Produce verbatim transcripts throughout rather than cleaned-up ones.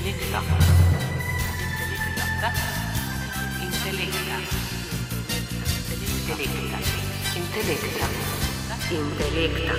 Intelekta. Intelekta. Intelekta. Intelekta.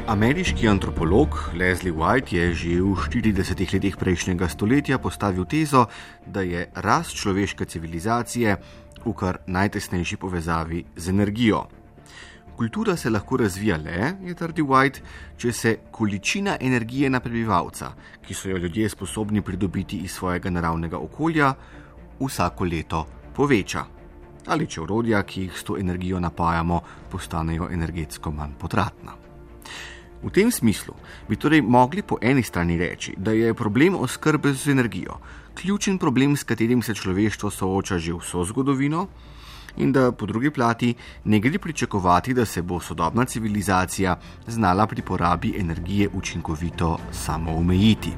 Ameriški antropolog Leslie White je že v štiridesetih letih prejšnjega stoletja postavil tezo, da je rast človeške civilizacije v kar najtesnejši povezavi z energijo. Kultura se lahko razvija le, je trdil White, če se količina energije na prebivalca, ki so jo ljudje sposobni pridobiti iz svojega naravnega okolja, vsako leto poveča. Ali če orodja, ki jih s to energijo napajamo, postanejo energetsko manj potratna. V tem smislu bi torej mogli po eni strani reči, da je problem oskrbe z energijo ključen problem, s katerim se človeštvo sooča že vso zgodovino, in da po drugi plati ne gre pričakovati, da se bo sodobna civilizacija znala pri porabi energije učinkovito samoomejiti.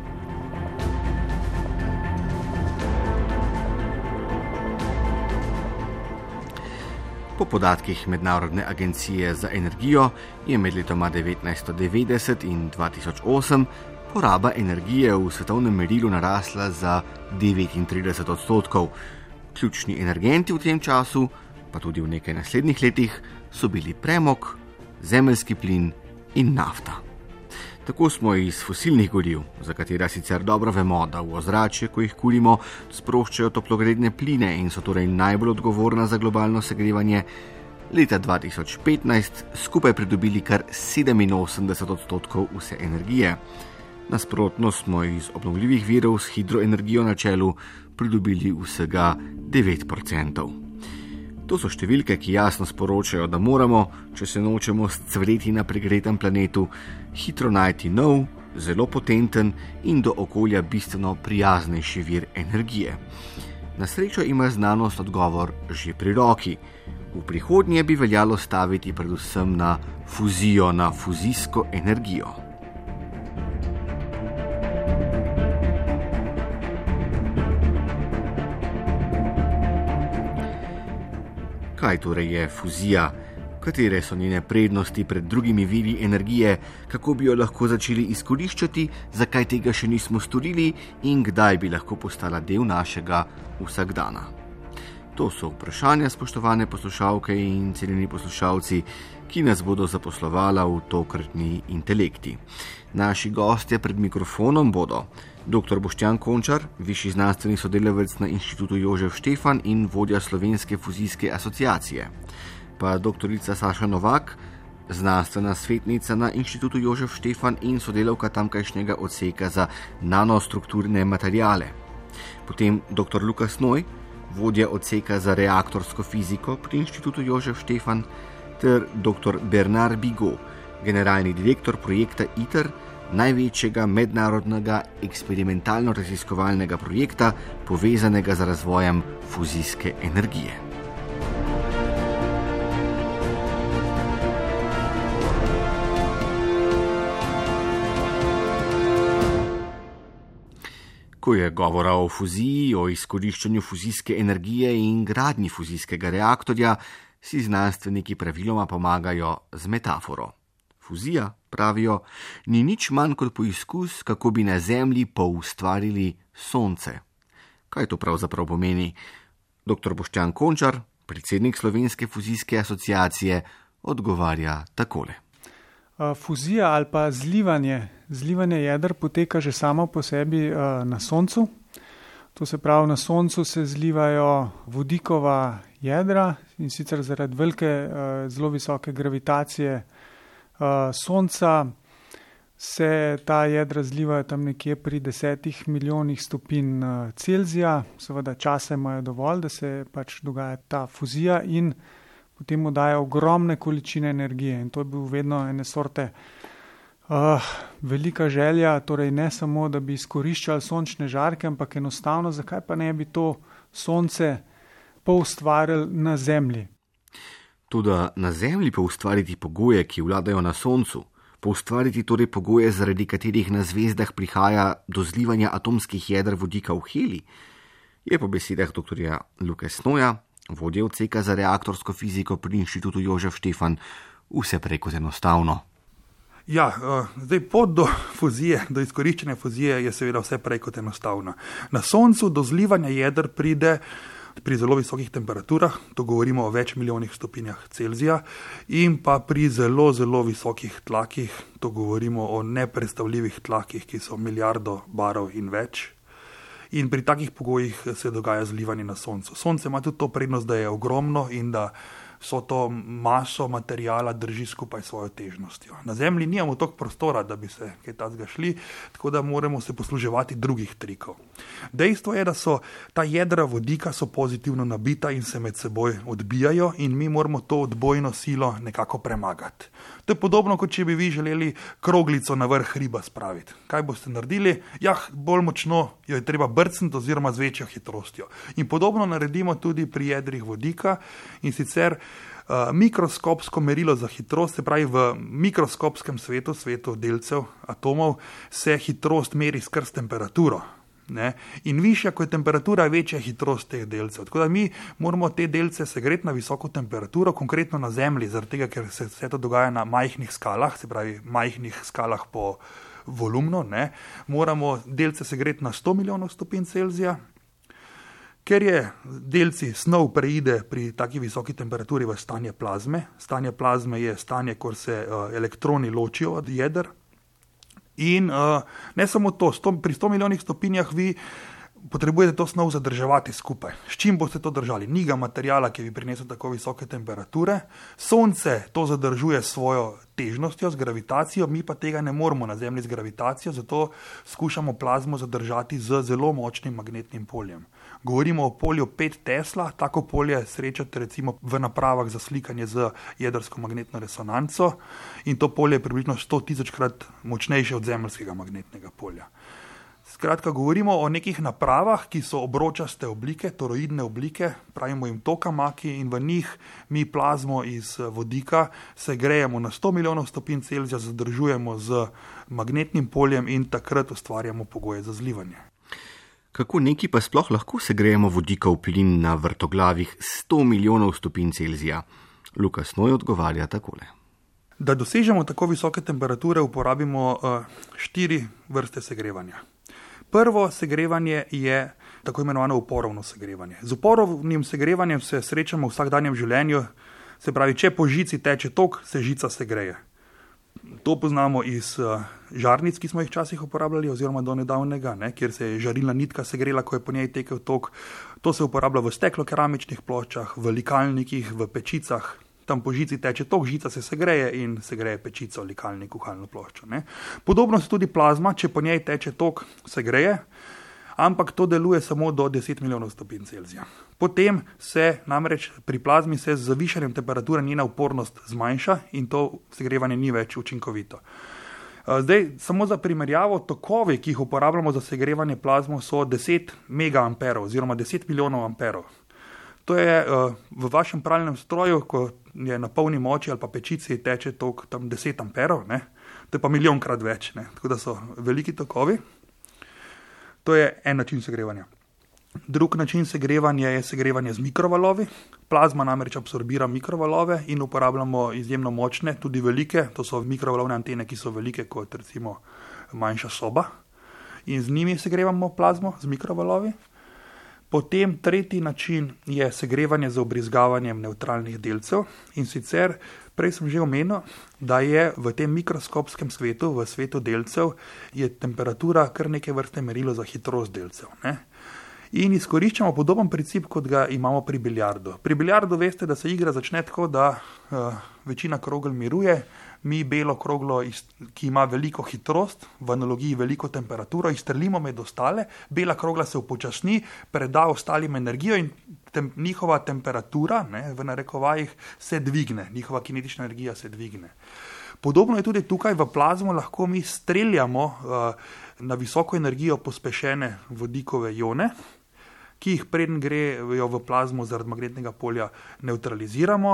Po podatkih Mednarodne agencije za energijo je med letoma devetnajststo devetdeset in dva tisoč osem poraba energije v svetovnem merilu narasla za devetintrideset odstotkov. Ključni energenti v tem času, pa tudi v nekaj naslednjih letih, so bili premog, zemeljski plin in nafta. Tako smo iz fosilnih goriv, za katera sicer dobro vemo, da v ozračje, ko jih kurimo, sproščajo toplogredne pline in so torej najbolj odgovorna za globalno segrevanje, leta dva tisoč petnajst skupaj pridobili kar sedeminosemdeset odstotkov vse energije. Nasprotno smo iz obnovljivih virov s hidroenergijo na čelu pridobili vsega devet procentov. To so številke, ki jasno sporočajo, da moramo, če se nočemo scvreti na pregretem planetu, hitro najti nov, zelo potenten in do okolja bistveno prijaznejši vir energije. Na srečo ima znanost odgovor že pri roki. V prihodnje bi veljalo staviti predvsem na fuzijo, na fuzijsko energijo. Kaj torej je fuzija? Katere so njene prednosti pred drugimi viri energije? Kako bi jo lahko začeli izkoriščati? Zakaj tega še nismo storili? In kdaj bi lahko postala del našega vsakdana? To so vprašanja, spoštovane poslušalke in cenjeni poslušalci, ki nas bodo zaposlovala v tokratni Intelekti. Naši gostje pred mikrofonom bodo doktor Boštjan Končar, višji znanstveni sodelavec na Inštitutu Jožef Štefan in vodja Slovenske fuzijske asociacije, pa doktorica Saša Novak, znanstvena svetnica na Inštitutu Jožef Štefan in sodelavka tamkajšnjega odseka za nanostrukturne materiale. Potem doktor Lukas Noj, vodja odseka za reaktorsko fiziko pri Inštitutu Jožef Štefan, ter doktor Bernard Bigot, generalni direktor projekta ITER, največjega mednarodnega eksperimentalno-raziskovalnega projekta, povezanega z razvojem fuzijske energije. Ko je govora o fuziji, o izkoriščanju fuzijske energije in gradnji fuzijskega reaktorja, si znanstveniki praviloma pomagajo z metaforo. Fuzija, pravijo, ni nič manj kot poizkus, kako bi na Zemlji poustvarili sonce. Kaj to pravzaprav pomeni? Doktor Boštjan Končar, predsednik Slovenske fuzijske asociacije, odgovarja takole. Fuzija ali pa zlivanje, zlivanje jeder poteka že samo po sebi na Soncu. To se pravi, na Soncu se zlivajo vodikova jedra in sicer zaradi velike, zelo visoke gravitacije Sonca se ta jedra zlivajo tam nekje pri desetih milijonih stopinj Celzija. Seveda časa imajo dovolj, da se pač dogaja ta fuzija in potem mu daje ogromne količine energije in to je bil vedno ene sorte uh, velika želja, torej ne samo, da bi izkoriščali sončne žarke, ampak enostavno, zakaj pa ne bi to sonce poustvarili na Zemlji. Tudi na Zemlji poustvariti pogoje, ki vladajo na Soncu, poustvariti torej pogoje, zaradi katerih na zvezdah prihaja do zlivanja atomskih jeder vodika v helij, je po besedah doktorja Luke Snoja, vodje odseka za reaktorsko fiziko pri Inštitutu Jožef Štefan, vse prej kot enostavno. Ja, zdaj pot do fuzije, do izkoriščanja fuzije je seveda vse prej kot enostavna. Na Soncu do zlivanja jeder pride pri zelo visokih temperaturah, to govorimo o več milijonih stopinjah Celzija, in pa pri zelo, zelo visokih tlakih, to govorimo o nepredstavljivih tlakih, ki so milijardo barov in več. In pri takih pogojih se dogaja zlivanje na Soncu. Sonce ima tudi to prednost, da je ogromno in da so to maso materijala drži skupaj svojo težnostjo. Na Zemlji nimamo toliko prostora, da bi se kaj takega šli, tako da moramo se posluževati drugih trikov. Dejstvo je, da so ta jedra vodika so pozitivno nabita in se med seboj odbijajo in mi moramo to odbojno silo nekako premagati. To je podobno, kot če bi vi želeli kroglico na vrh hriba spraviti. Kaj boste naredili? Ja, bolj močno jo je treba brcniti oziroma z večjo hitrostjo. In podobno naredimo tudi pri jedrih vodika in sicer uh, mikroskopsko merilo za hitrost, se pravi v mikroskopskem svetu, svetu delcev, atomov, se hitrost meri skrz temperaturo. Ne? In višja, ko je temperatura, večja hitrost teh delcev. Tako da mi moramo te delce segreti na visoko temperaturo, konkretno na Zemlji, zaradi tega, ker se vse to dogaja na majhnih skalah, se pravi majhnih skalah po volumnu, ne? Moramo delce segreti na sto milijonov stopinj Celzija. Ker je delci snov preide pri taki visoki temperaturi v stanje plazme, stanje plazme je stanje, ko se uh, elektroni ločijo od jeder. In uh, ne samo to, sto, pri sto milijonih stopinjah vi potrebujete to snov zadrževati skupaj. S čim boste to držali? Ni ga materijala, ki bi prinesel tako visoke temperature. Sonce to zadržuje svojo težnostjo, z gravitacijo, mi pa tega ne moremo na Zemlji z gravitacijo, zato skušamo plazmo zadržati z zelo močnim magnetnim poljem. Govorimo o polju pet Tesla, tako polje srečate recimo v napravah za slikanje z jedrsko magnetno resonanco in to polje je približno sto tisočkrat močnejše od zemeljskega magnetnega polja. Skratka, govorimo o nekih napravah, ki so obročaste oblike, toroidne oblike, pravimo jim tokamaki in v njih mi plazmo iz vodika segrejemo na sto milijonov stopinj Celzija, zadržujemo z magnetnim poljem in takrat ustvarjamo pogoje za zlivanje. Kako neki pa sploh lahko segrejemo vodikov plin na vrtoglavih sto milijonov stopinj Celzija? Luka Snoj odgovarja takole. Da dosežemo tako visoke temperature, uporabimo uh, štiri vrste segrevanja. Prvo segrevanje je tako imenovano uporovno segrevanje. Z uporovnim segrevanjem se srečamo v vsakdanjem življenju, se pravi, če po žici teče tok, se žica segreje. To poznamo iz uh, žarnic, ki smo jih včasih uporabljali, oziroma do nedavnega, ne, kjer se je žarilna nitka segrela, ko je po njej tekel tok. To se uporablja v steklokeramičnih ploščah, v likalnikih, v pečicah. Tam po žici teče tok, žica se segreje in segreje pečico, likalnik, kuhalno ploščo. Ne. Podobno se tudi plazma, če po njej teče tok, segreje, ampak to deluje samo do deset milijonov stopinj Celzija. Potem se namreč pri plazmi se z zavišanjem temperature njena upornost zmanjša in to segrevanje ni več učinkovito. Zdaj, samo za primerjavo, tokovi, ki jih uporabljamo za segrevanje plazmo, so deset megaamperov oziroma deset milijonov amperov. To je uh, v vašem pralnem stroju, ko je na polni moči ali pa pečici teče tok tam deset amperov, ne? To je pa milijonkrat več, ne? Tako da so veliki tokovi. To je en način segrevanja. Drug način segrevanja je segrevanje z mikrovalovi. Plazma namreč absorbira mikrovalove in uporabljamo izjemno močne, tudi velike, to so mikrovalovne antene, ki so velike kot recimo manjša soba. In z njimi segrevamo plazmo z mikrovalovi. Potem tretji način je segrevanje z obrizgavanjem nevtralnih delcev in sicer, prej sem že omenil, da je v tem mikroskopskem svetu, v svetu delcev, je temperatura kar neke vrste merilo za hitrost delcev. Ne? In izkoriščamo podoben princip, kot ga imamo pri biljardu. Pri biljardu veste, da se igra začne tako, da uh, večina krogel miruje, mi belo kroglo, ki ima veliko hitrost, v analogiji veliko temperaturo, izstrelimo med ostale, bela krogla se upočasni, preda ostalim energijo in tem, njihova temperatura, ne, v narekovajih, se dvigne, njihova kinetična energija se dvigne. Podobno je tudi tukaj v plazmo, lahko mi streljamo uh, na visoko energijo pospešene vodikove ione, ki jih preden grejo v plazmo zaradi magnetnega polja nevtraliziramo.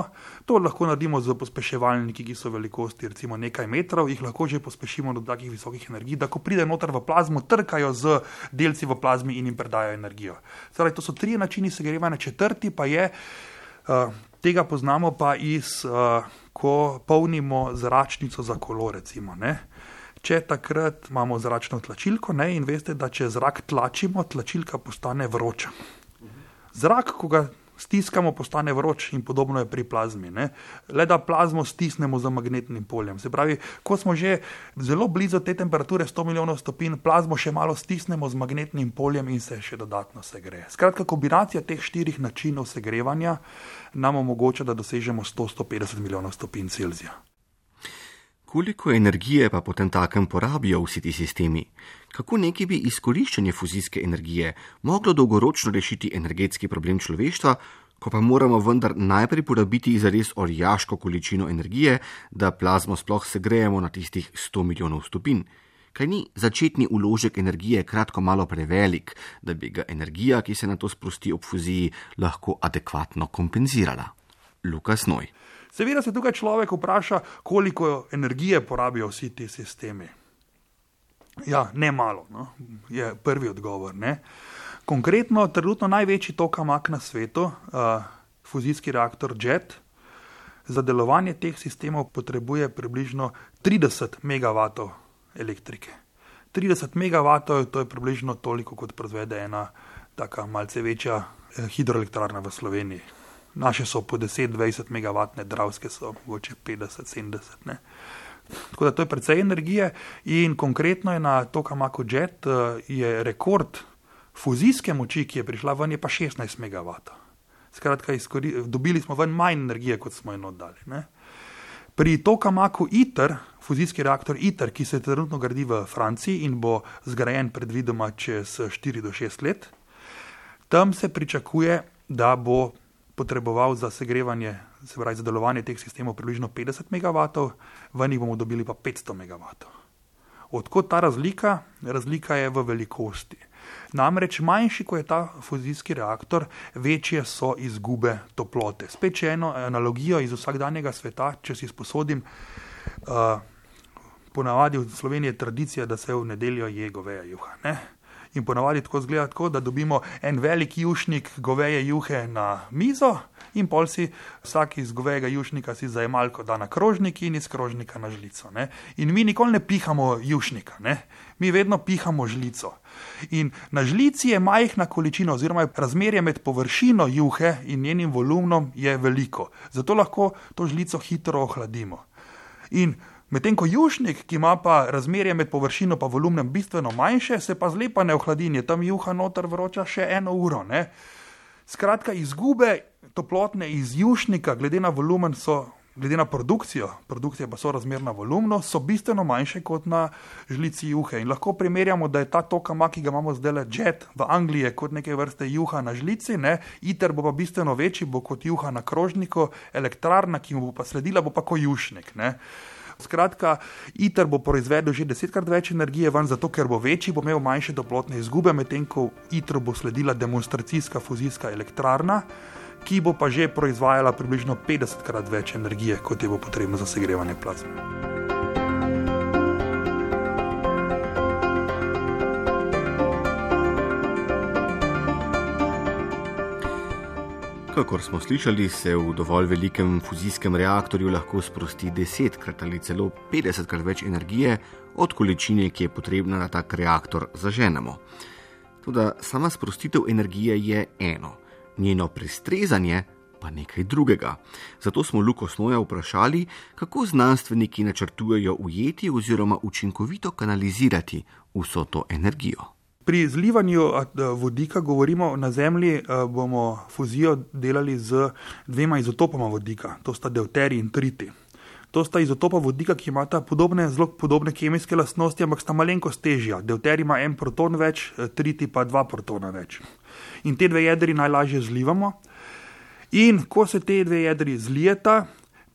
To lahko naredimo z pospeševalniki, ki so velikosti recimo nekaj metrov, jih lahko že pospešimo do takih visokih energij, da ko pride noter v plazmo, trkajo z delci v plazmi in jim predajo energijo. Torej, to so tri načini segrevanja, četrti pa je, uh, tega poznamo pa iz, uh, ko polnimo zračnico za kolo, recimo, ne. Če takrat imamo zračno tlačilko, ne, in veste, da če zrak tlačimo, tlačilka postane vroča. Zrak, ko ga stiskamo, postane vroč in podobno je pri plazmi, ne. Le da plazmo stisnemo z magnetnim poljem. Se pravi, ko smo že zelo blizu te temperature sto milijonov stopinj, plazmo še malo stisnemo z magnetnim poljem in se še dodatno segreje. Skratka, kombinacija teh štirih načinov segrevanja nam omogoča, da dosežemo sto do sto petdeset milijonov stopinj Celzija. Koliko energije pa potem takem porabijo vsi ti sistemi? Kako neki bi izkoriščanje fuzijske energije moglo dolgoročno rešiti energetski problem človeštva, ko pa moramo vendar najprej porabiti zares orjaško količino energije, da plazmo sploh segrejemo na tistih sto milijonov stopinj? Kaj ni začetni vložek energije kratko malo prevelik, da bi ga energija, ki se na to sprosti ob fuziji, lahko adekvatno kompenzirala? Lukas Noj. Seveda se tukaj človek vpraša, koliko energije porabijo vsi ti sistemi. Ja, ne malo, no, je prvi odgovor, ne. Konkretno, trenutno največji tokamak na svetu, uh, fuzijski reaktor JET, za delovanje teh sistemov potrebuje približno trideset megavatov elektrike. trideset megavatov, to je približno toliko, kot proizvede ena taka malce večja eh, hidroelektrarna v Sloveniji. Naše so po deset do dvajset megavatne, dravske so mogoče petdeset do sedemdeset. Ne. Tako da to je precej energije in konkretno je na tokamaku JET je rekord fuzijske moči, ki je prišla ven, je pa šestnajst megavatov. Skratka, izkori, dobili smo ven manj energije, kot smo jo oddali. Ne. Pri tokamaku ITER, fuzijski reaktor ITER, ki se trenutno gradi v Franciji in bo zgrajen predvidoma čez štiri do šest let, tam se pričakuje, da bo potreboval za segrevanje, se pravi za delovanje teh sistemov približno petdeset megavatov, ven jih bomo dobili pa petsto megavatov. Odkot ta razlika? Razlika je v velikosti. Namreč manjši, ko je ta fuzijski reaktor, večje so izgube toplote. Spet še eno analogijo iz vsakdanjega sveta, če si sposodim, uh, ponavadi v Sloveniji je tradicija, da se v nedeljo je goveja juha, ne? In ponavadi tako zgleda tako, da dobimo en velik jušnik goveje juhe na mizo in pol si vsak iz govejega jušnika si zajemalko da na krožnik in iz krožnika na žlico. Ne? In mi nikoli ne pihamo jušnika, ne? Mi vedno pihamo žlico. In na žlici je majhna količina oziroma razmerje med površino juhe in njenim volumnom je veliko. Zato lahko to žlico hitro ohladimo. In medtem ko jušnik, ki ima pa razmerje med površino pa volumnem bistveno manjše, se pa zlepa ne ohladi, je tam juha noter vroča še eno uro. Ne? Skratka, izgube toplotne iz jušnika, glede na volumen so, glede na produkcijo, produkcija pa so razmerna volumno, so bistveno manjše kot na žlici juhe. In lahko primerjamo, da je ta tokamak, ki ga imamo zdaj JET v Angliji, kot neke vrste juha na žlici, ne? ITER bo pa bistveno večji, bo kot juha na krožniku, elektrarna, ki mu bo pa sledila, bo pa kot jušnik, ne? Skratka, ITER bo proizvedel že desetkrat več energije ven, zato ker bo večji, bo imel manjše toplotne izgube, medtem ko ITER bo sledila demonstracijska fuzijska elektrarna, ki bo pa že proizvajala približno petdesetkrat več energije, kot je bo potrebno za segrevanje plazme. Kakor smo slišali, se v dovolj velikem fuzijskem reaktorju lahko sprosti desetkrat ali celo petdesetkrat več energije od količine, ki je potrebna, da tak reaktor zaženemo. Toda sama sprostitev energije je eno, njeno prestrezanje pa nekaj drugega. Zato smo Luko Snoja vprašali, kako znanstveniki načrtujejo ujeti oziroma učinkovito kanalizirati vso to energijo. Pri zlivanju vodika govorimo, na Zemlji bomo fuzijo delali z dvema izotopoma vodika, to sta deuterij in triti. To sta izotopa vodika, ki imata podobne, zelo podobne kemijske lastnosti, ampak sta malenkost težja. Deuterij ima en proton več, tritij pa dva protona več. In te dve jedri najlažje zlivamo. In ko se te dve jedri zlijeta,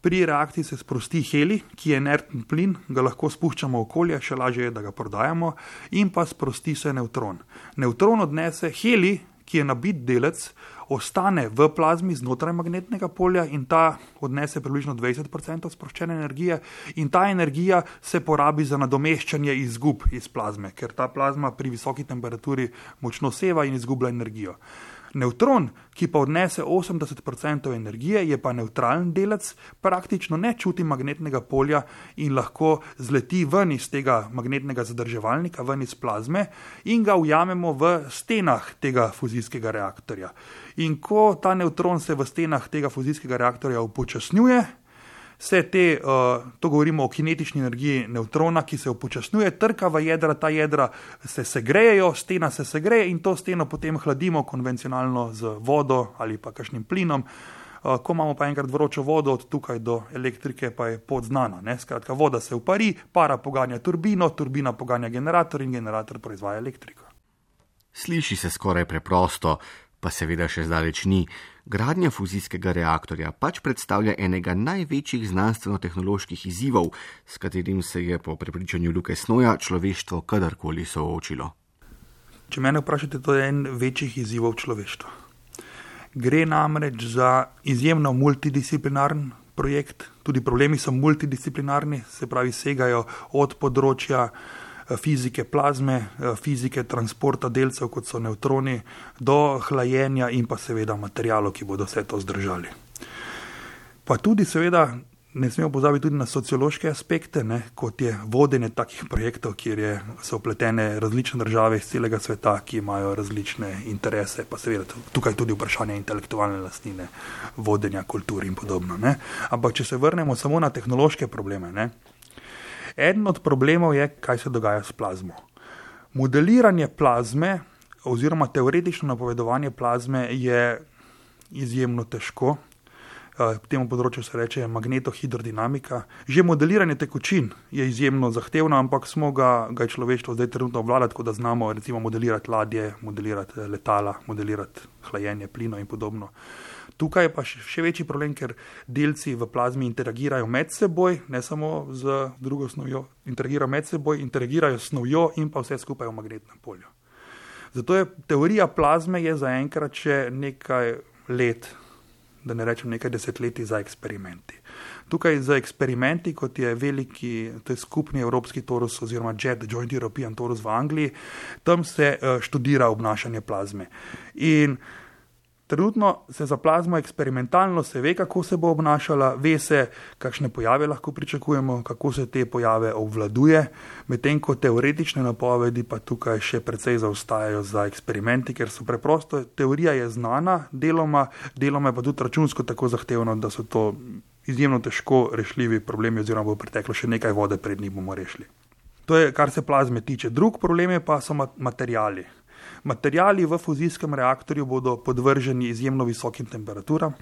pri reakciji se sprosti helij, ki je inertni plin, ga lahko spuščamo v okolje, še lažje je, da ga prodajamo, in pa sprosti se nevtron. Nevtron odnese helij, ki je nabit delec, ostane v plazmi znotraj magnetnega polja in ta odnese približno dvajset procentov sproščene energije in ta energija se porabi za nadomeščanje izgub iz plazme, ker ta plazma pri visoki temperaturi močno seva in izgublja energijo. Nevtron, ki pa odnese osemdeset procentov energije, je pa nevtralen delec, praktično ne čuti magnetnega polja in lahko zleti ven iz tega magnetnega zadrževalnika, ven iz plazme in ga ujamemo v stenah tega fuzijskega reaktorja. In ko ta nevtron se v stenah tega fuzijskega reaktorja upočasnjuje, se te, to govorimo o kinetični energiji nevtrona, ki se upočasnjuje, trka v jedra, ta jedra se segrejejo, stena se segreje in to steno potem hladimo konvencionalno z vodo ali pa kakšnim plinom. Ko imamo pa enkrat vročo vodo, od tukaj do elektrike pa je pot znana. Ne? Skratka, voda se upari, para poganja turbino, turbina poganja generator in generator proizvaja elektriko. Sliši se skoraj preprosto, pa seveda še zdaleč ni. Gradnja fuzijskega reaktorja pač predstavlja enega največjih znanstveno-tehnoloških izzivov, s katerim se je po prepričanju Luke Snoja človeštvo kadarkoli soočilo. Če mene vprašate, to je en večjih izzivov človeštva. Gre namreč za izjemno multidisciplinaren projekt, tudi problemi so multidisciplinarni, se pravi segajo od področja fizike plazme, fizike transporta delcev, kot so nevtroni, do hlajenja in pa seveda materijalov, ki bodo vse to zdržali. Pa tudi seveda ne smemo pozabiti tudi na sociološke aspekte, ne, kot je vodenje takih projektov, kjer je, so vpletene različne države iz celega sveta, ki imajo različne interese, pa seveda tukaj tudi vprašanje intelektualne lastnine, vodenja kultur in podobno. Ne. Ampak če se vrnemo samo na tehnološke probleme, ne, eden od problemov je, kaj se dogaja s plazmo. Modeliranje plazme oziroma teoretično napovedovanje plazme je izjemno težko. Temu področju se reče magnetohidrodinamika. Že modeliranje tekočin je izjemno zahtevno, ampak smo ga, ga je človeštvo zdaj trenutno obvladati, tako da znamo recimo modelirati ladje, modelirati letala, modelirati hlajenje plina in podobno. Tukaj je pa še večji problem, ker delci v plazmi interagirajo med seboj, ne samo z drugo snovjo, interagirajo med seboj, interagirajo s snovjo in pa vse skupaj v magnetnem polju. Zato je teorija plazme je zaenkrat še nekaj let, da ne rečem nekaj desetletij za eksperimenti. Tukaj za eksperimenti, kot je veliki, to je skupni evropski torus oziroma JET, Joint European Torus v Angliji, tam se študira obnašanje plazme. In trenutno se za plazmo eksperimentalno se ve, kako se bo obnašala, ve se, kakšne pojave lahko pričakujemo, kako se te pojave obvladuje, medtem ko teoretične napovedi pa tukaj še precej zaostajajo za eksperimenti, ker so preprosto, teorija je znana, deloma, deloma je pa tudi računsko tako zahtevno, da so to izjemno težko rešljivi problemi oziroma bo preteklo še nekaj vode, pred njih bomo rešili. To je, kar se plazme tiče. Drug problem je pa so materijali. Materijali v fuzijskem reaktorju bodo podvrženi izjemno visokim temperaturam,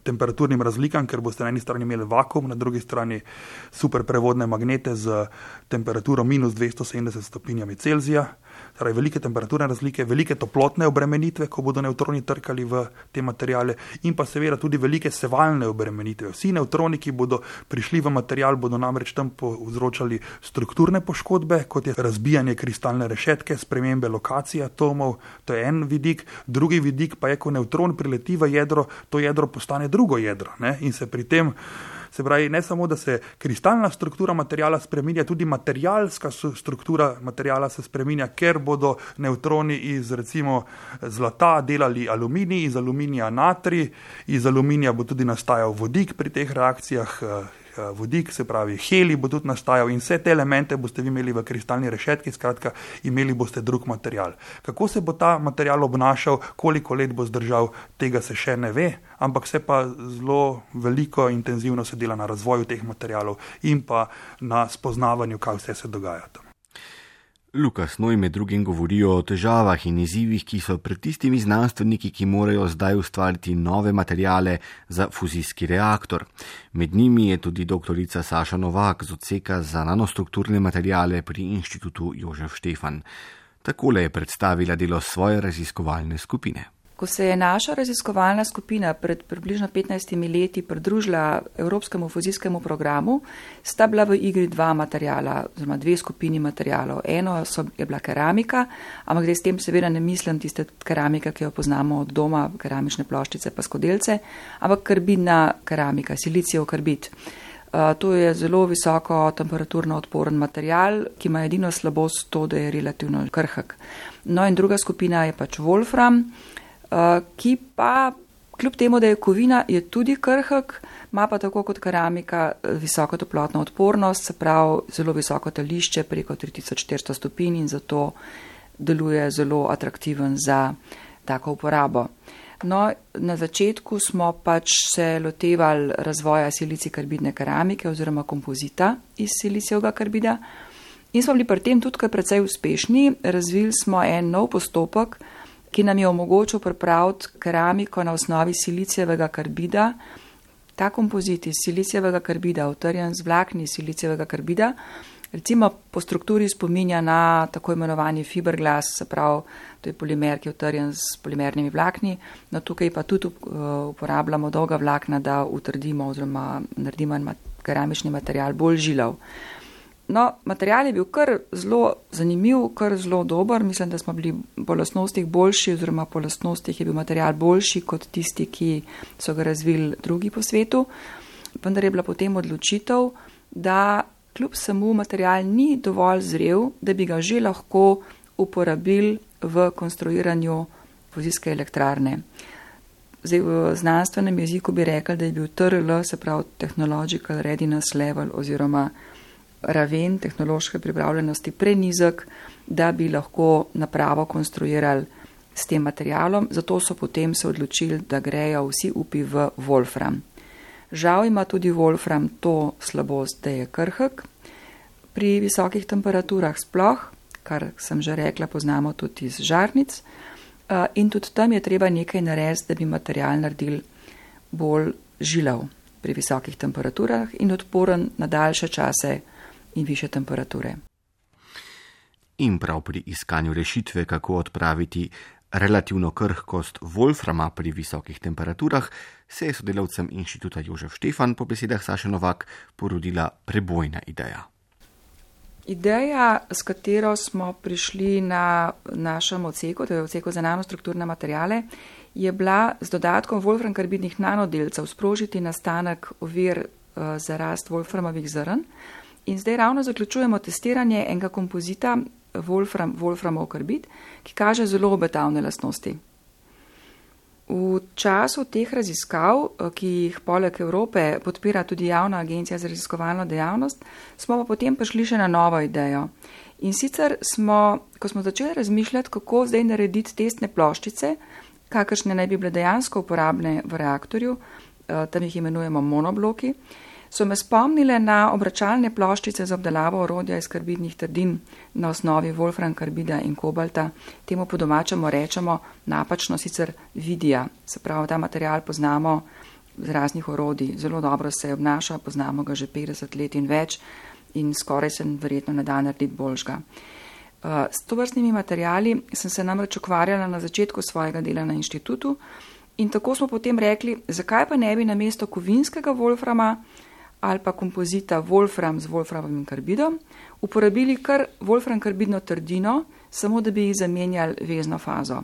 temperaturnim razlikam, ker boste na eni strani imeli vakuum, na drugi strani superprevodne magnete z temperaturo minus dvesto sedemdeset stopinjami Celzija, torej velike temperaturne razlike, velike toplotne obremenitve, ko bodo nevtroni trkali v te materijale in pa seveda tudi velike sevalne obremenitve. Vsi nevtroni, ki bodo prišli v material, bodo namreč tam povzročali strukturne poškodbe, kot je razbijanje kristalne rešetke, spremembe lokacije atomov, to je en vidik, drugi vidik pa je, ko nevtron prileti v jedro, to jedro postane drugo jedro, ne? In se pri tem, se pravi, ne samo, da se kristalna struktura materijala spreminja, tudi materialska struktura materijala se spreminja, ker bodo nevtroni iz recimo zlata delali aluminij, iz aluminija natrij, iz aluminija bo tudi nastajal vodik pri teh reakcijah, vodik, se pravi helij bo tudi nastajal in vse te elemente boste vi imeli v kristalni rešetki, skratka imeli boste drug material. Kako se bo ta material obnašal, koliko let bo zdržal, tega se še ne ve, ampak se pa zelo veliko intenzivno se dela na razvoju teh materialov in pa na spoznavanju, kaj vse se dogaja tam. Lukas Noj med drugim govori o težavah in izzivih, ki so pred tistimi znanstveniki, ki morajo zdaj ustvariti nove materijale za fuzijski reaktor. Med njimi je tudi doktorica Saša Novak z odseka za nanostrukturne materijale pri Inštitutu Jožef Štefan. Takole je predstavila delo svoje raziskovalne skupine. Ko se je naša raziskovalna skupina pred približno petnajstimi leti pridružila Evropskemu fuzijskemu programu, sta bila v igri dva materijala, oziroma dve skupini materijalov. Eno so, je bila keramika, ampak zdaj s tem seveda ne mislim tiste keramike, ki jo poznamo od doma, keramične ploščice pa skodelce, ampak karbidna keramika, silicijev karbid. Uh, to je zelo visoko temperaturno odporen material, ki ima edino slabost to, da je relativno krhek. No in druga skupina je pač wolfram, Uh, ki pa, kljub temu, da je kovina, je tudi krhek, ima pa tako kot keramika visoko toplotno odpornost, se pravi zelo visoko tališče preko tri tisoč štiristo stopinj in zato deluje zelo atraktiven za tako uporabo. No, na začetku smo pač se lotevali razvoja silicij karbidne keramike oziroma kompozita iz silicijevega karbida in smo bili pri tem tudi kar precej uspešni. Razvili smo en nov postopek, ki nam je omogočil pripraviti keramiko na osnovi silicijevega karbida. Ta kompozit iz silicijevega karbida, utrjen z vlakni silicijevega karbida, recimo po strukturi spominja na tako imenovani fiberglass, se pravi, to je polimer, ki je utrjen z polimernimi vlakni, no tukaj pa tudi uporabljamo dolga vlakna, da utrdimo oziroma naredimo keramični material bolj žilav. No, material je bil kar zelo zanimiv, kar zelo dober. Mislim, da smo bili po lastnostih boljši oziroma po lastnostih je bil material boljši kot tisti, ki so ga razvili drugi po svetu. Vendar je bila potem odločitev, da kljub samo material ni dovolj zrel, da bi ga že lahko uporabili v konstruiranju fuzijske elektrarne. Zdaj v znanstvenem jeziku bi rekli, da je bil T R L, se pravi Technological Readiness Level oziroma raven tehnološke pripravljenosti prenizek, da bi lahko napravo konstruirali s tem materialom, zato so potem se odločili, da grejo vsi upi v wolfram. Žal ima tudi wolfram to slabost, da je krhek. Pri visokih temperaturah sploh, kar sem že rekla, poznamo tudi iz žarnic, in tudi tam je treba nekaj narediti, da bi material naredili bolj žilav pri visokih temperaturah in odporen na daljše čase in više temperature. In prav pri iskanju rešitve, kako odpraviti relativno krhkost wolframa pri visokih temperaturah, se je sodelavcem Inštituta Jožef Štefan po besedah Saše Novak porodila prebojna ideja. Ideja, s katero smo prišli na našem odseku, to je odseku za nanostrukturne materijale, je bila z dodatkom wolfram karbidnih nanodelcev sprožiti nastanek ovir uh, za rast wolframovih zrn. In zdaj ravno zaključujemo testiranje enega kompozita wolfram, wolframov karbid, ki kaže zelo obetavne lastnosti. V času teh raziskav, ki jih poleg Evrope podpira tudi Javna agencija za raziskovalno dejavnost, smo pa potem prišli še na novo idejo. In sicer smo, ko smo začeli razmišljati, kako zdaj narediti testne ploščice, kakršne naj bi bile dejansko uporabne v reaktorju, tam jih imenujemo monobloki, so me spomnile na obračalne ploščice za obdelavo orodja iz karbidnih trdin na osnovi wolfram karbida in kobalta. Temu po domačemu rečemo napačno sicer vidija. Se pravi, ta material poznamo z raznih orodij. Zelo dobro se obnaša, poznamo ga že petdeset let in več in skoraj se verjetno ne da narediti boljšega. S tovrstnimi materijali sem se namreč ukvarjala na začetku svojega dela na inštitutu in tako smo potem rekli, zakaj pa ne bi namesto kovinskega wolframa ali pa kompozita wolfram z wolframovim karbidom uporabili kar wolfram karbidno trdino, samo da bi jih zamenjali vezno fazo.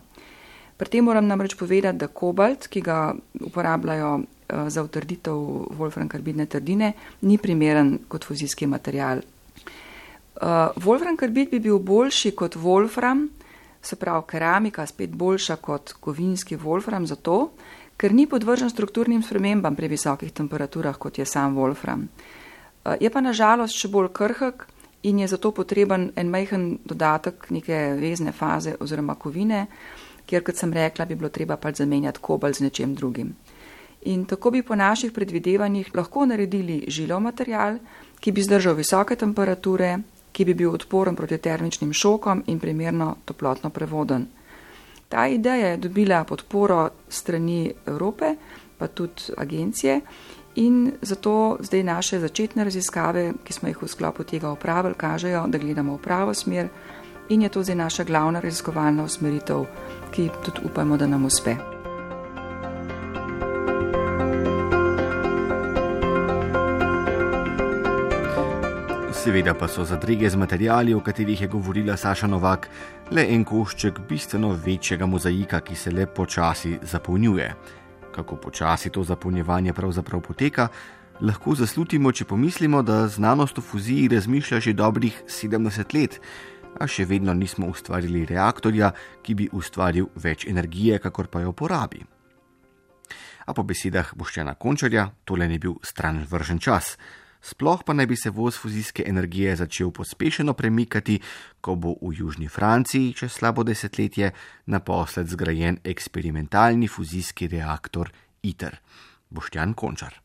Pri tem moram namreč povedati, da kobalt, ki ga uporabljajo za utrditev wolfram karbidne trdine, ni primeren kot fuzijski material. Wolfram karbid bi bil boljši kot wolfram, se pravi keramika spet boljša kot kovinski wolfram zato, ker ni podvržen strukturnim spremembam pri visokih temperaturah, kot je sam wolfram. Je pa nažalost še bolj krhek in je zato potreben en majhen dodatek neke vezne faze oziroma kovine, kjer, kot sem rekla, bi bilo treba pač zamenjati kobalt z nečem drugim. In tako bi po naših predvidevanjih lahko naredili žilav material, ki bi zdržal visoke temperature, ki bi bil odporen proti termičnim šokom in primerno toplotno prevoden. Ta ideja je dobila podporo strani Evrope, pa tudi agencije, in zato zdaj naše začetne raziskave, ki smo jih v sklopu tega opravili, kažejo, da gledamo v pravo smer in je to zdaj naša glavna raziskovalna usmeritev, ki tudi upamo, da nam uspe. Seveda pa so zadrege z materijali, o katerih je govorila Saša Novak, le en košček bistveno večjega mozaika, ki se le počasi zapolnjuje. Kako počasi to zapolnjevanje pravzaprav poteka, lahko zaslutimo, če pomislimo, da znanost o fuziji razmišlja že dobrih sedemdeset let, a še vedno nismo ustvarili reaktorja, ki bi ustvaril več energije, kakor pa jo porabi. A po besedah Boštjana Končarja tole ni bil stran vržen čas. Sploh pa naj bi se voz fuzijske energije začel pospešeno premikati, ko bo v južni Franciji čez slabo desetletje naposled zgrajen eksperimentalni fuzijski reaktor ITER. Boštjan Končar.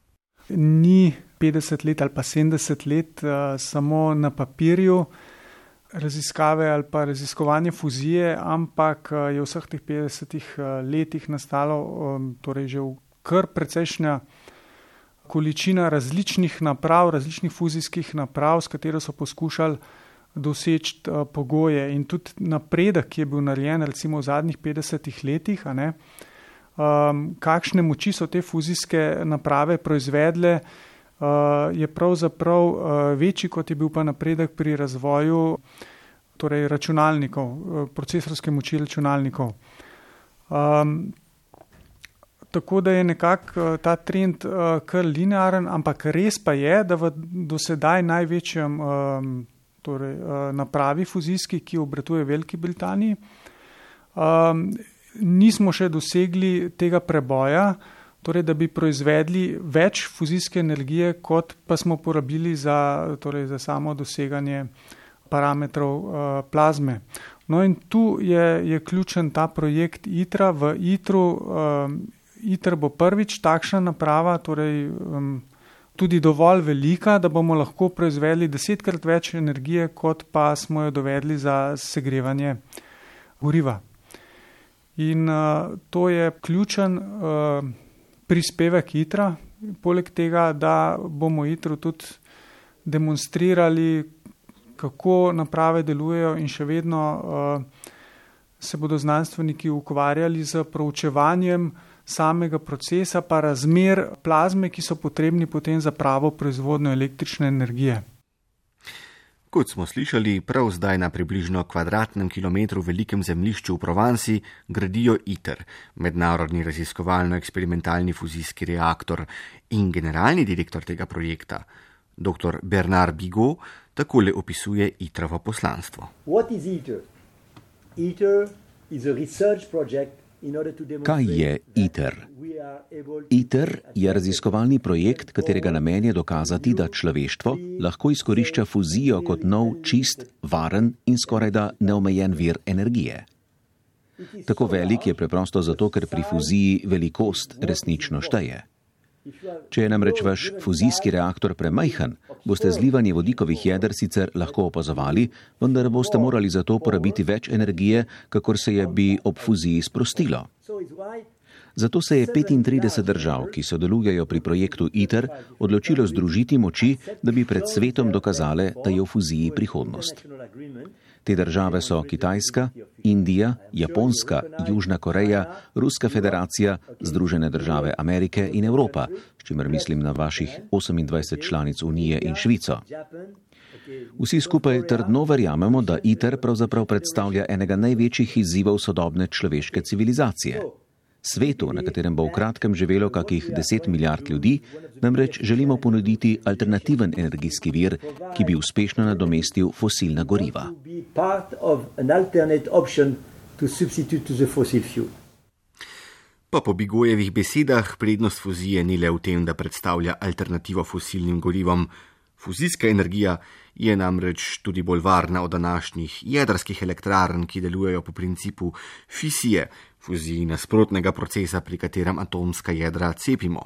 Ni petdeset let ali pa sedemdeset let uh, samo na papirju raziskave ali pa raziskovanje fuzije, ampak uh, je v vseh teh petdesetih uh, letih nastalo um, torej že v kar precejšnja količina različnih naprav, različnih fuzijskih naprav, s katero so poskušali doseči uh, pogoje. In tudi napredek, ki je bil narejen recimo v zadnjih petdesetih letih, a ne, um, kakšne moči so te fuzijske naprave proizvedle, uh, je pravzaprav uh, večji, kot je bil pa napredek pri razvoju torej računalnikov, uh, procesorske moči računalnikov. Um, Tako da je nekako ta trend uh, kar linearen, ampak res pa je, da v dosedaj največjem um, torej, uh, napravi fuzijski, ki obratuje v Veliki Britaniji, um, nismo še dosegli tega preboja, torej, da bi proizvedli več fuzijske energije, kot pa smo porabili za, torej, za samo doseganje parametrov uh, plazme. No in tu je, je ključen ta projekt ITER-a. V ITER-u um, ITER bo prvič takšna naprava, torej um, tudi dovolj velika, da bomo lahko proizvedli desetkrat več energije, kot pa smo jo dovedli za segrevanje goriva. In uh, to je ključen uh, prispevek ITER-a, poleg tega, da bomo ITER-u tudi demonstrirali, kako naprave delujejo in še vedno uh, se bodo znanstveniki ukvarjali z proučevanjem samega procesa pa razmer plazme, ki so potrebni potem za pravo proizvodnjo električne energije. Kot smo slišali, prav zdaj na približno kvadratnem kilometru velikem zemljišču v Provansi gradijo ITER, mednarodni raziskovalno-eksperimentalni fuzijski reaktor, in generalni direktor tega projekta, dr. Bernard Bigot, takole opisuje ITER-ovo poslanstvo. What is ITER? ITER is a research project. Kaj je ITER? ITER je raziskovalni projekt, katerega namen je dokazati, da človeštvo lahko izkorišča fuzijo kot nov, čist, varen in skorajda neomejen vir energije. Tako velik je preprosto zato, ker pri fuziji velikost resnično šteje. Če je namreč vaš fuzijski reaktor premajhen, boste zlivanje vodikovih jeder sicer lahko opazovali, vendar boste morali za to porabiti več energije, kakor se je bi ob fuziji sprostilo. Zato se je petintrideset držav, ki sodelujejo pri projektu ITER, odločilo združiti moči, da bi pred svetom dokazale, da je v fuziji prihodnost. Te države so Kitajska, Indija, Japonska, Južna Koreja, Ruska federacija, Združene države Amerike in Evropa, s čimer mislim na vaših osemindvajset članic Unije in Švico. Vsi skupaj trdno verjamemo, da ITER pravzaprav predstavlja enega največjih izzivov sodobne človeške civilizacije. Svetu, na katerem bo v kratkem živelo kakih deset milijard ljudi, namreč želimo ponuditi alternativen energijski vir, ki bi uspešno nadomestil fosilna goriva. Pa po Bigojevih besedah prednost fuzije ni le v tem, da predstavlja alternativo fosilnim gorivom. Fuzijska energija je namreč tudi bolj varna od današnjih jedrskih elektrarn, ki delujejo po principu fisije, fuziji nasprotnega procesa, pri katerem atomska jedra cepimo.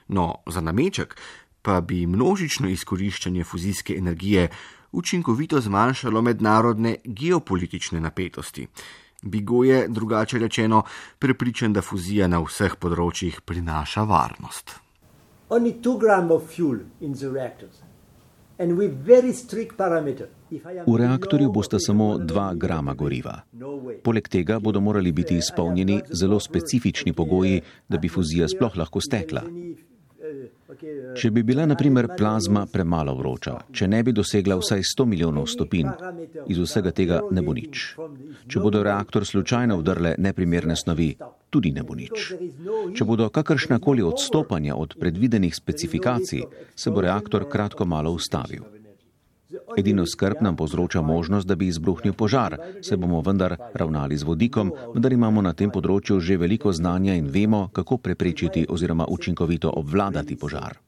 No, za nameček pa bi množično izkoriščanje fuzijske energije učinkovito zmanjšalo mednarodne geopolitične napetosti. Bigot je, drugače rečeno, prepričan, da fuzija na vseh področjih prinaša varnost. Only two grams of fuel in the reactors. And with very strict parameters. V reaktorju bosta samo dva grama goriva. Poleg tega bodo morali biti izpolnjeni zelo specifični pogoji, da bi fuzija sploh lahko stekla. Če bi bila na primer plazma premalo vroča, če ne bi dosegla vsaj sto milijonov stopinj, iz vsega tega ne bo nič. Če bodo reaktor slučajno vdrle neprimerne snovi, tudi ne bo nič. Če bodo kakršnakoli odstopanja od predvidenih specifikacij, se bo reaktor kratko malo ustavil. Edino skrb nam povzroča možnost, da bi izbruhnil požar, se bomo vendar ravnali z vodikom, vendar imamo na tem področju že veliko znanja in vemo, kako preprečiti oziroma učinkovito obvladati požar.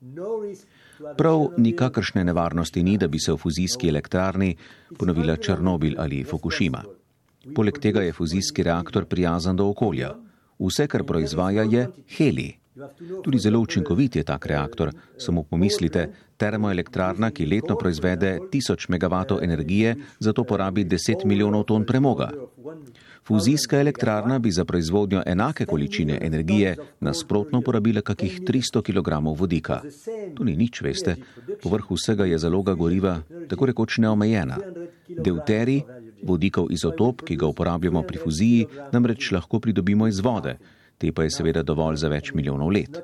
Prav nikakršne nevarnosti ni, da bi se v fuzijski elektrarni ponovila Černobil ali Fukušima. Poleg tega je fuzijski reaktor prijazen do okolja. Vse, kar proizvaja, je helij. Tudi zelo učinkovit je tak reaktor, samo pomislite, termoelektrarna, ki letno proizvede tisoč megavatov energije, zato porabi deset milijonov ton premoga. Fuzijska elektrarna bi za proizvodnjo enake količine energije nasprotno porabila kakih tristo kilogramov vodika. To ni nič, veste, povrh vsega je zaloga goriva tako rekoč neomejena. Deuterij, vodikov izotop, ki ga uporabljamo pri fuziji, namreč lahko pridobimo iz vode. Te pa je seveda dovolj za več milijonov let.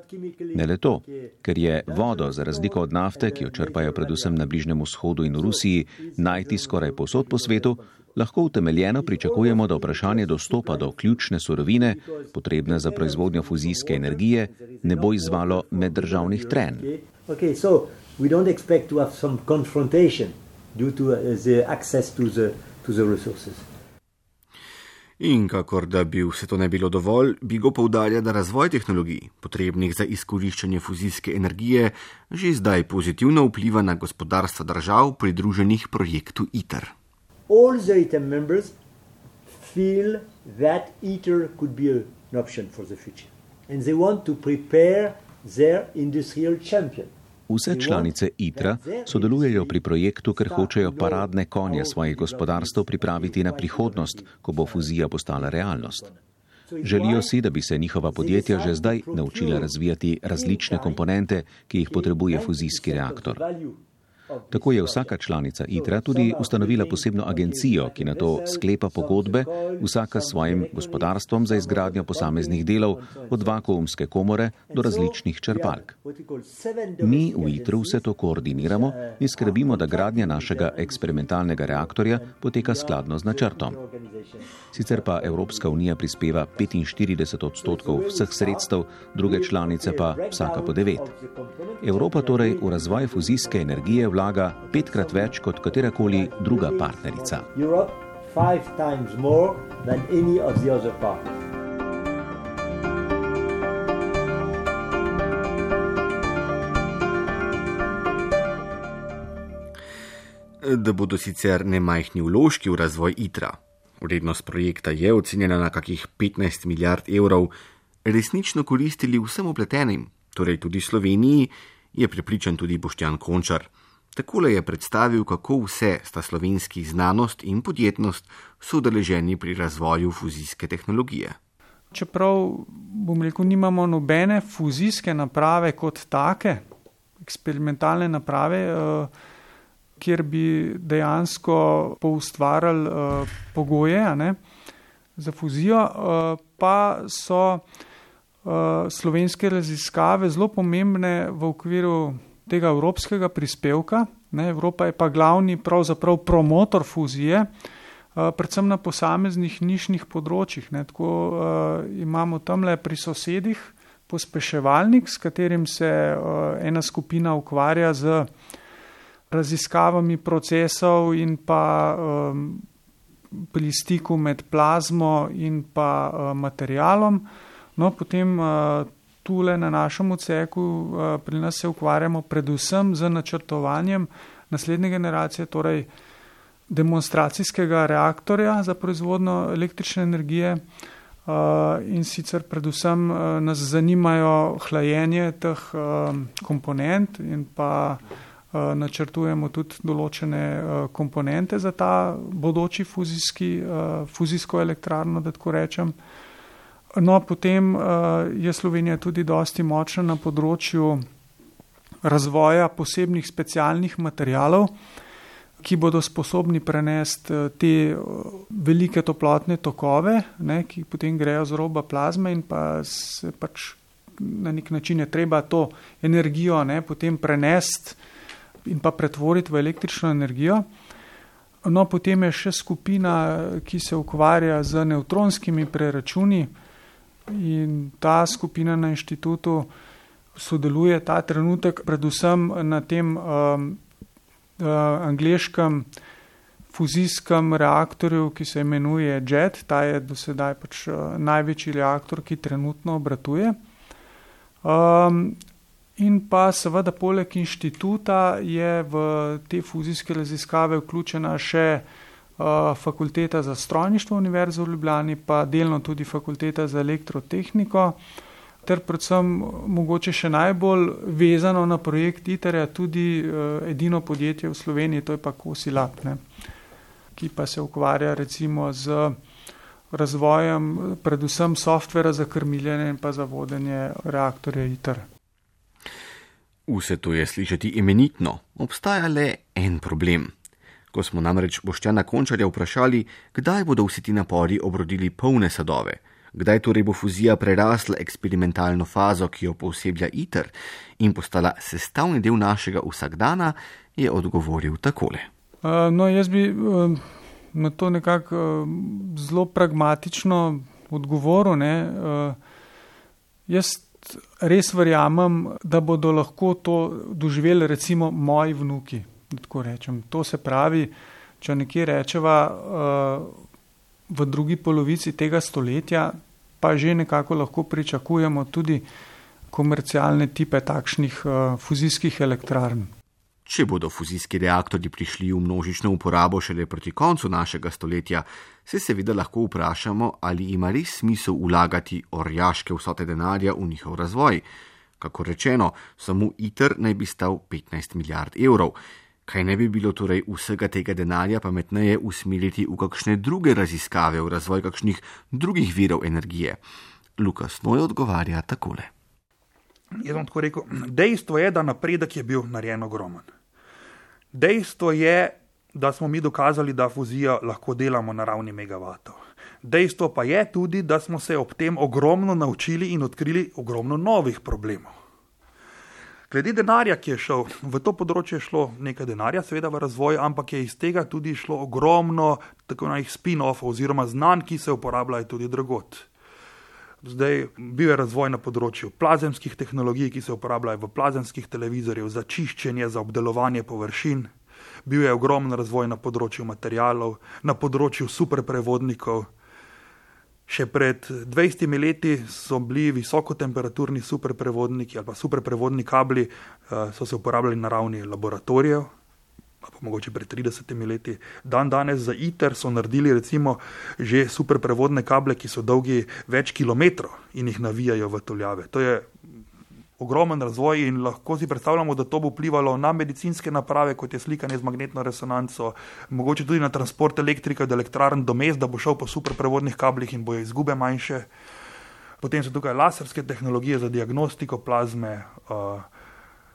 Ne le to, ker je vodo, za razliko od nafte, ki jo črpajo predvsem na Bližnjem vzhodu in v Rusiji, najti skoraj povsod po svetu, lahko utemeljeno pričakujemo, da vprašanje dostopa do ključne surovine, potrebne za proizvodnjo fuzijske energije, ne bo izzvalo meddržavnih trenj. Okay, so we don't expect to have some confrontation due to the access to the, to the resources. In kakor da bi vse to ne bilo dovolj, Bigot poudarja, da razvoj tehnologij, potrebnih za izkoriščanje fuzijske energije, že zdaj pozitivno vpliva na gospodarstva držav pridruženih projektu ITER. All the ITER members feel that ITER could be an option for the future. And they want to prepare their industrial champion. Vse članice ITER-a sodelujejo pri projektu, ker hočejo paradne konje svojih gospodarstv pripraviti na prihodnost, ko bo fuzija postala realnost. Želijo si, da bi se njihova podjetja že zdaj naučila razvijati različne komponente, ki jih potrebuje fuzijski reaktor. Tako je vsaka članica ITER-a tudi ustanovila posebno agencijo, ki na to sklepa pogodbe, vsaka s svojim gospodarstvom za izgradnjo posameznih delov, od vakuumske komore do različnih črpalk. Mi v ITER-u vse to koordiniramo in skrbimo, da gradnja našega eksperimentalnega reaktorja poteka skladno z načrtom. Sicer pa Evropska unija prispeva petinštirideset odstotkov vseh sredstev, druge članice pa vsaka po devet. Evropa torej v razvoj fuzijske energije vlaga petkrat več kot katerakoli druga partnerica. Europe five times more than any of the other partners. Da bodo sicer nemajhni vložki v razvoj ITER-a, vrednost projekta je ocenjena na kakih petnajst milijard evrov, resnično koristili vsem upletenim, torej tudi Sloveniji, je prepričan tudi Boštjan Končar. Takole je predstavil, kako vse sta slovenski znanost in podjetnost soudeleženi pri razvoju fuzijske tehnologije. Čeprav, bom rekel, nimamo nobene fuzijske naprave kot take, eksperimentalne naprave, kjer bi dejansko poustvarjali pogoje, ne, za fuzijo, pa so slovenske raziskave zelo pomembne v okviru tega evropskega prispevka. Ne, Evropa je pa glavni pravzaprav promotor fuzije, predvsem na posameznih nišnih področjih. Ne. Tako uh, imamo tamle pri sosedih pospeševalnik, s katerim se uh, ena skupina ukvarja z raziskavami procesov in pa um, pri stiku med plazmo in pa uh, materialom. No, potem uh, tule na našem odseku uh, pri nas se ukvarjamo predvsem z načrtovanjem naslednje generacije, torej demonstracijskega reaktorja za proizvodnjo električne energije uh, in sicer predvsem uh, nas zanimajo hlajenje teh uh, komponent in pa načrtujemo tudi določene komponente za ta bodoči fuzijski, fuzijsko elektrarno, da tako rečem. No, potem je Slovenija tudi dosti močna na področju razvoja posebnih specialnih materialov, ki bodo sposobni prenesti te velike toplotne tokove, ne, ki potem grejo z roba plazme in pa se pač na nek način je treba to energijo, ne, potem prenesti in pa pretvoriti v električno energijo. No, potem je še skupina, ki se ukvarja z nevtronskimi preračuni in ta skupina na inštitutu sodeluje ta trenutek predvsem na tem um, uh, angleškem fuzijskem reaktorju, ki se imenuje JET. Ta je do sedaj pač uh, največji reaktor, ki trenutno obratuje. Um, In pa seveda poleg inštituta je v te fuzijske raziskave vključena še uh, fakulteta za strojništvo Univerze v Ljubljani, pa delno tudi fakulteta za elektrotehniko, ter predvsem mogoče še najbolj vezano na projekt ITER-ja tudi uh, edino podjetje v Sloveniji, to je pa Kosilab, ne, ki pa se ukvarja recimo z razvojem predvsem softvera za krmiljenje in pa za vodenje reaktorja ITER. Vse to je slišati imenitno, obstaja le en problem. Ko smo namreč Boštjana Končarja vprašali, kdaj bodo vsi ti napori obrodili polne sadove, kdaj torej bo fuzija prerasla eksperimentalno fazo, ki jo pooseblja ITER in postala sestavni del našega vsakdana, je odgovoril takole. Uh, no, jaz bi uh, na to nekako uh, zelo pragmatično odgovoril, ne. Uh, jaz res verjamem, da bodo lahko to doživeli recimo moji vnuki, da tako rečem. To se pravi, če nekje rečeva v drugi polovici tega stoletja, pa že nekako lahko pričakujemo tudi komercialne tipe takšnih fuzijskih elektrarn. Če bodo fuzijski reaktorji prišli v množično uporabo šele proti koncu našega stoletja, se seveda lahko vprašamo, ali ima res smisel vlagati orjaške vsote denarja v njihov razvoj. Kako rečeno, samo ITER naj bi stal petnajst milijard evrov. Kaj ne bi bilo torej vsega tega denarja pametneje usmeriti v kakšne druge raziskave, v razvoj kakšnih drugih virov energije? Lukas Noj odgovarja takole. Jaz bom tako rekel, dejstvo je, da napredek je bil narejen ogromen. Dejstvo je, da smo mi dokazali, da fuzijo lahko delamo na ravni megavatov. Dejstvo pa je tudi, da smo se ob tem ogromno naučili in odkrili ogromno novih problemov. Glede denarja, ki je šel, v to področje je šlo nekaj denarja, seveda v razvoj, ampak je iz tega tudi šlo ogromno tako najih spin-offov oziroma znanj, ki se uporabljajo tudi drugod. Zdaj bil je razvoj na področju plazemskih tehnologij, ki se uporabljajo v plazemskih televizorjev za čiščenje, za obdelovanje površin. Bil je ogromen razvoj na področju materialov, na področju superprevodnikov. Še pred dvajsetimi leti so bili visokotemperaturni superprevodniki ali pa superprevodni kabli, so se uporabljali na ravni laboratorijev, pa mogoče pred tridesetimi leti. Dan danes za ITER so naredili recimo že superprevodne kable, ki so dolgi več kilometrov in jih navijajo v tuljave. To je ogromen razvoj in lahko si predstavljamo, da to bo vplivalo na medicinske naprave, kot je slikanje z magnetno resonanco, mogoče tudi na transport elektrike od elektrarn do mest, da bo šel po superprevodnih kablih in bojo izgube manjše. Potem so tukaj laserske tehnologije za diagnostiko plazme, uh,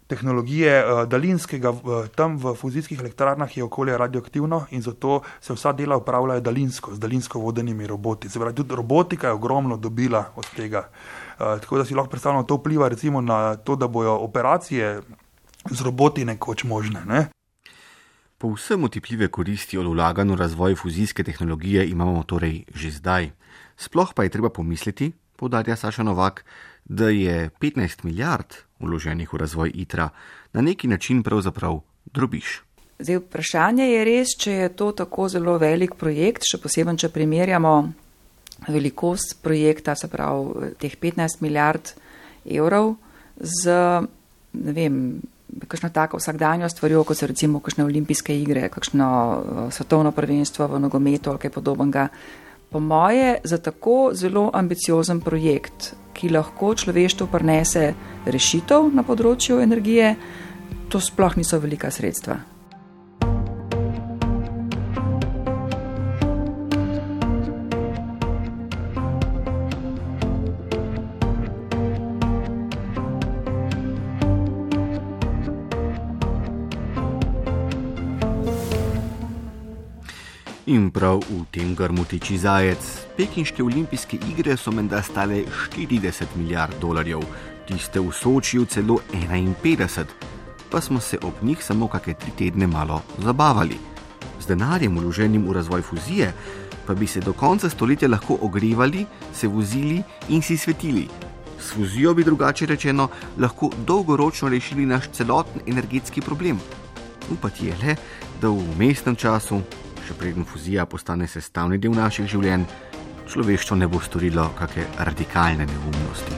tehnologije uh, daljinskega, uh, tam v fuzijskih elektrarnah je okolje radioaktivno in zato se vsa dela upravljajo daljinsko, z daljinsko vodenimi roboti. Se pravi, tudi robotika je ogromno dobila od tega. Uh, tako da si lahko predstavljamo, to vpliva recimo na to, da bojo operacije z roboti nekoč možne, ne? Povsem otipljive koristi od vlaganj v razvoj fuzijske tehnologije imamo torej že zdaj. Sploh pa je treba pomisliti, poudarja Saša Novak, da je petnajst milijard vloženih v razvoj ITER-a na neki način pravzaprav drobiž. Zdaj, vprašanje je res, če je to tako zelo velik projekt, še posebej, če primerjamo velikost projekta, se pravi teh petnajst milijard evrov z, ne vem, kakšno tako vsakdanjo stvarjo, kot so recimo kakšne olimpijske igre, kakšno svetovno prvenstvo v nogometu ali kaj podobnega. Po moje, za tako zelo ambiciozen projekt, ki lahko človeštvu prinese rešitev na področju energije, to sploh niso velika sredstva. In prav v tem grmu tiči zajec. Pekinške olimpijske igre so menda stale štirideset milijard dolarjev, tiste v Sočiju celo enainpetdeset, pa smo se ob njih samo kakšne tri tedne malo zabavali. Z denarjem vloženim v razvoj fuzije pa bi se do konca stoletja lahko ogrevali, se vozili in si svetili. S fuzijo bi drugače rečeno lahko dolgoročno rešili naš celoten energetski problem. Upati je le, da v vmesnem času, še preden fuzija postane sestavni del naših življenj, človeštvo ne bo storilo kakšne radikalne neumnosti.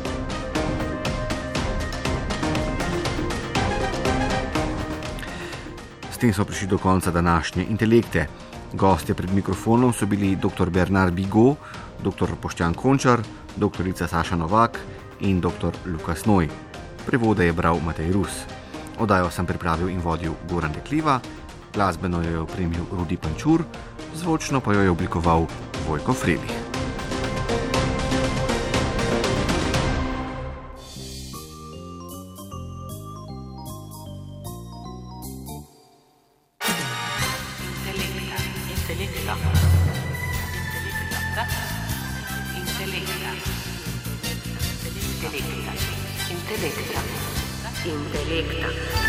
S tem smo prišli do konca današnje Intelekte. Gostje pred mikrofonom so bili dr. Bernard Bigot, dr. Boštjan Končar, doktorica Saša Novak in dr. Lukas Noj. Prevode je bral Matej Rus. Oddajo sem pripravil in vodil Goran Dekliva, glasbeno jo je opremil Rudi Pančur, zvočno pa jo je oblikoval Vojko Frelih. Intelekta. Intelekta. Intelekta.